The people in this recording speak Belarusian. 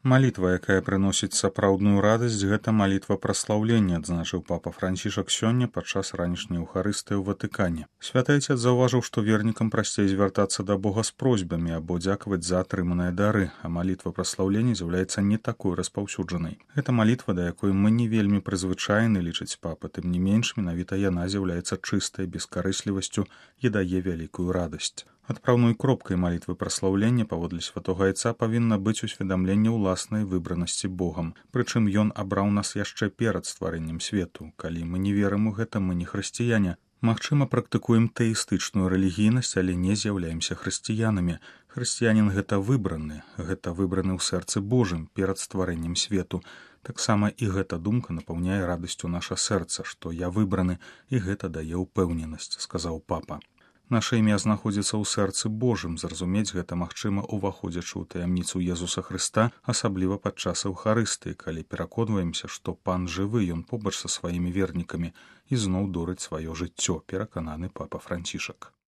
Малітва, якая прыносіць сапраўдную радасць, гэта малітва праслаўлення, адзначыў папа Францішак сёння падчас ранішняй еўхарыстыі ў Ватыкане. Святы Айцец заўважыў, што вернікам прасцей звяртацца да Бога з просьбамі або дзякаваць за атрыманыя дары, а малітва праслаўлення з'яўляецца не такой распаўсюджанай. Гэта малітва, да якой мы не вельмі прызвычайны, лічыць папа, тым не менш менавіта яна з'яўляецца чыстай бескарыслівасцю і дае вялікую радасць. Адпраўной кропкай малітвы праслаўлення, паводле святога Айца, павінна быць усведамленне ўласнай выбранасці Богам. Прычым ён абраў нас яшчэ перад стварэннем свету. Калі мы не верым у гэта, мы не хрысціяне. Магчыма, практыкуем тэістычную рэлігійнасць, але не з'яўляемся хрысціянамі. Хрысціянін гэта выбраны ў сэрцы Божым перад стварэннем свету. Таксама і гэта думка напаўняе радасцю наша сэрца, што я выбраны, і гэта дае ўпэўненасць, сказаў папа. Наша імя знаходзіцца ў сэрцы Божым, зразумець гэта магчыма, уваходзячы ў таямніцу Езуса Хрыста, асабліва падчас еўхарыстыі, калі пераконваемся, што Пан жывы, ён побач са сваімі вернікамі і зноў дорыць сваё жыццё, перакананы папа Францішак.